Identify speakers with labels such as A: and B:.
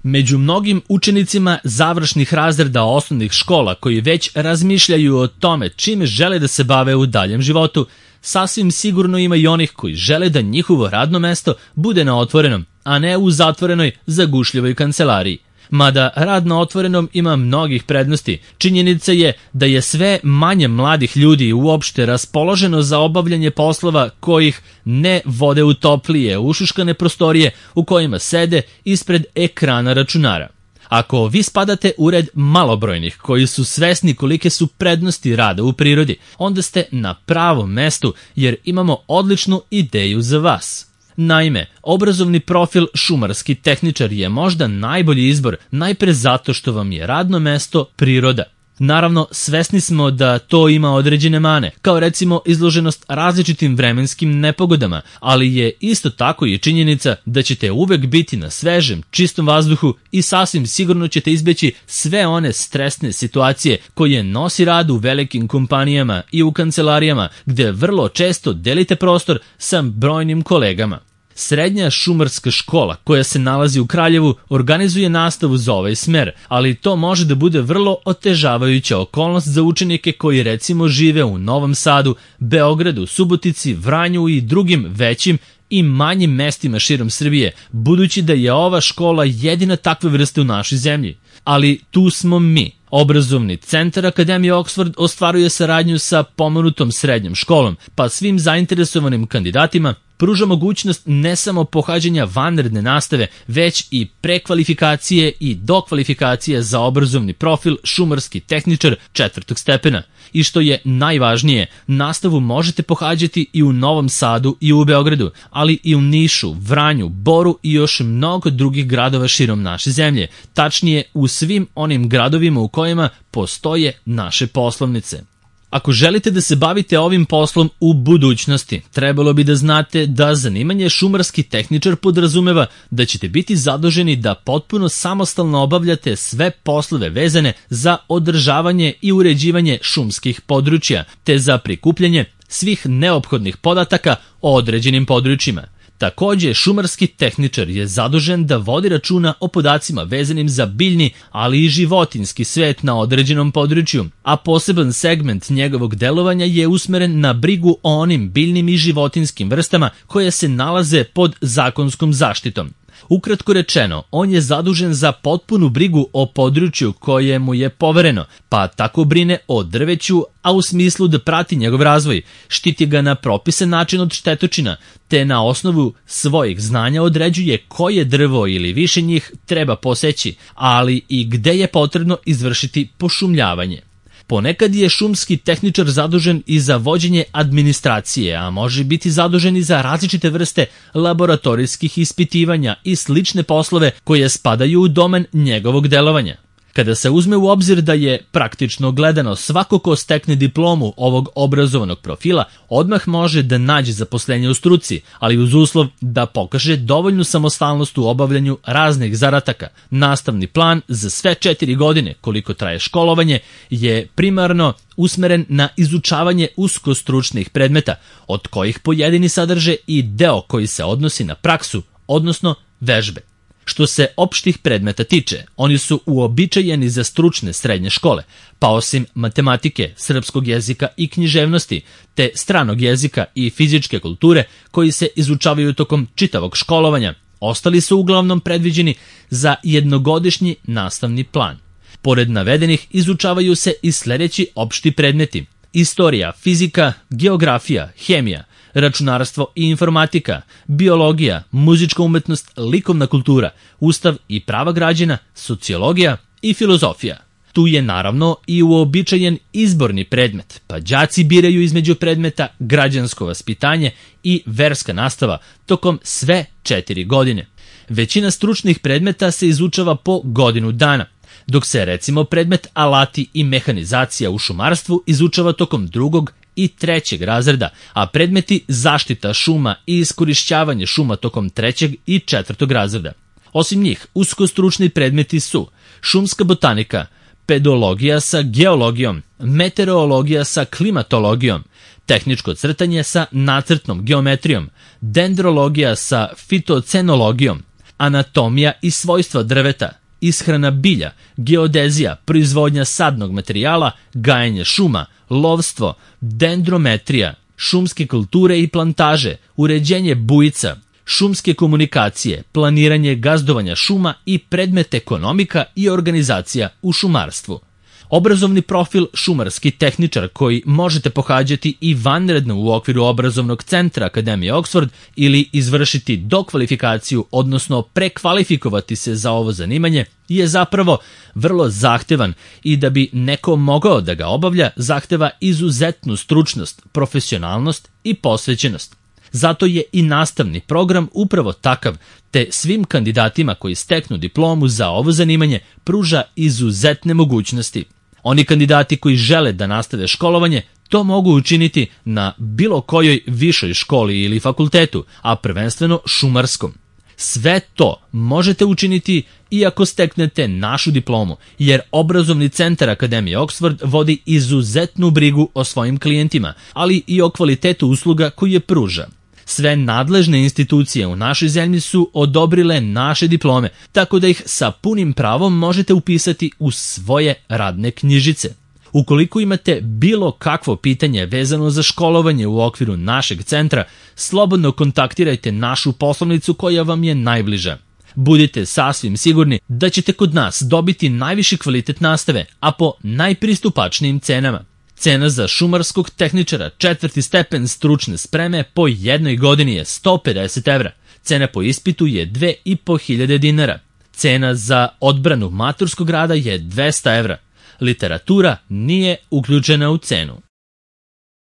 A: Među mnogim učenicima završnih razreda osnovnih škola koji već razmišljaju o tome čime žele da se bave u daljem životu, sasvim sigurno ima i onih koji žele da njihovo radno mesto bude na otvorenom, a ne u zatvorenoj, zagušljivoj kancelariji. Mada rad na otvorenom ima mnogih prednosti, činjenica je da je sve manje mladih ljudi uopšte raspoloženo za obavljanje poslova kojih ne vode u toplije, ušuškane prostorije u kojima sede ispred ekrana računara. Ako vi spadate u red malobrojnih koji su svesni kolike su prednosti rada u prirodi, onda ste na pravom mestu jer imamo odličnu ideju za vas. Naime, obrazovni profil šumarski tehničar je možda najbolji izbor, najpre zato što vam je radno mesto priroda. Naravno, svesni smo da to ima određene mane, kao recimo izloženost različitim vremenskim nepogodama, ali je isto tako i činjenica da ćete uvek biti na svežem, čistom vazduhu i sasvim sigurno ćete izbeći sve one stresne situacije koje nosi rad u velikim kompanijama i u kancelarijama, gde vrlo često delite prostor sa brojnim kolegama. Srednja šumarska škola koja se nalazi u Kraljevu organizuje nastavu za ovaj smer, ali to može da bude vrlo otežavajuća okolnost za učenike koji recimo žive u Novom Sadu, Beogradu, Subotici, Vranju i drugim većim i manjim mestima širom Srbije, budući da je ova škola jedina takve vrste u našoj zemlji. Ali tu smo mi. Obrazovni centar Akademije Oxford ostvaruje saradnju sa pomenutom srednjom školom, pa svim zainteresovanim kandidatima pruža mogućnost ne samo pohađanja vanredne nastave, već i prekvalifikacije i dokvalifikacije za obrazovni profil šumarski tehničar 4. stepena. I što je najvažnije, nastavu možete pohađati i u Novom Sadu i u Beogradu, ali i u Nišu, Vranju, Boru i još mnogo drugih gradova širom naše zemlje, tačnije u svim onim gradovima u kojima postoje naše poslovnice. Ako želite da se bavite ovim poslom u budućnosti, trebalo bi da znate da zanimanje šumarski tehničar podrazumeva da ćete biti zaduženi da potpuno samostalno obavljate sve poslove vezane za održavanje i uređivanje šumskih područja, te za prikupljanje svih neophodnih podataka o određenim područjima. Takođe, šumarski tehničar je zadužen da vodi računa o podacima vezanim za biljni, ali i životinjski svet na određenom području, a poseban segment njegovog delovanja je usmeren na brigu o onim biljnim i životinjskim vrstama koje se nalaze pod zakonskom zaštitom. Ukratko rečeno, on je zadužen za potpunu brigu o području koje mu je povereno, pa tako brine o drveću, a u smislu da prati njegov razvoj, štiti ga na propisan način od štetočina, te na osnovu svojih znanja određuje koje drvo ili više njih treba poseći, ali i gde je potrebno izvršiti pošumljavanje. Ponekad je šumski tehničar zadužen i za vođenje administracije, a može biti zadužen i za različite vrste laboratorijskih ispitivanja i slične poslove koje spadaju u domen njegovog delovanja. Kada se uzme u obzir da je praktično gledano svako ko stekne diplomu ovog obrazovanog profila odmah može da nađe zaposlenje u struci, ali uz uslov da pokaže dovoljnu samostalnost u obavljanju raznih zadataka. Nastavni plan za sve 4 godine koliko traje školovanje je primarno usmeren na izučavanje uskostručnih predmeta, od kojih pojedini sadrže i deo koji se odnosi na praksu, odnosno vežbe. Što se opštih predmeta tiče, oni su uobičajeni za stručne srednje škole, pa osim matematike, srpskog jezika i književnosti, te stranog jezika i fizičke kulture koji se izučavaju tokom čitavog školovanja, ostali su uglavnom predviđeni za jednogodišnji nastavni plan. Pored navedenih izučavaju se i sledeći opšti predmeti: istorija, fizika, geografija, hemija, računarstvo i informatika, biologija, muzička umetnost, likovna kultura, ustav i prava građana, sociologija i filozofija. Tu je naravno i uobičajen izborni predmet, pa đaci biraju između predmeta građansko vaspitanje i verska nastava tokom sve 4 godine. Većina stručnih predmeta se izučava po godinu dana, dok se recimo predmet alati i mehanizacija u šumarstvu izučava tokom 2. i 3. razreda, a predmeti zaštita šuma i iskorišćavanje šuma tokom 3. i 4. razreda. Osim njih, uskostručni predmeti su šumska botanika, pedologija sa geologijom, meteorologija sa klimatologijom, tehničko crtanje sa nacrtnom geometrijom, dendrologija sa fitocenologijom, anatomija i svojstva drveta, ishrana bilja, geodezija, proizvodnja sadnog materijala, gajenje šuma, lovstvo, dendrometrija, šumske kulture i plantaže, uređenje bujica, šumske komunikacije, planiranje gazdovanja šuma i predmet ekonomika i organizacija u šumarstvu. Obrazovni profil šumarski tehničar koji možete pohađati i vanredno u okviru obrazovnog centra Akademije Oxford ili izvršiti dokvalifikaciju, odnosno prekvalifikovati se za ovo zanimanje, je zapravo vrlo zahtevan i da bi neko mogao da ga obavlja, zahteva izuzetnu stručnost, profesionalnost i posvećenost. Zato je i nastavni program upravo takav, te svim kandidatima koji steknu diplomu za ovo zanimanje pruža izuzetne mogućnosti. Oni kandidati koji žele da nastave školovanje to mogu učiniti na bilo kojoj višoj školi ili fakultetu, a prvenstveno šumarskom. Sve to možete učiniti i ako steknete našu diplomu, jer obrazovni centar Akademije Oxford vodi izuzetnu brigu o svojim klijentima, ali i o kvalitetu usluga koje pruža. Sve nadležne institucije u našoj zemlji su odobrile naše diplome, tako da ih sa punim pravom možete upisati u svoje radne knjižice. Ukoliko imate bilo kakvo pitanje vezano za školovanje u okviru našeg centra, slobodno kontaktirajte našu poslovnicu koja vam je najbliža. Budite sasvim sigurni da ćete kod nas dobiti najviši kvalitet nastave, a po najpristupačnijim cenama. Cena za šumarskog tehničara 4. stepen stručne spreme po jednoj godini je 150 evra. Cena po ispitu je 2.500 dinara. Cena za odbranu maturskog rada je 200 evra. Literatura nije uključena u cenu.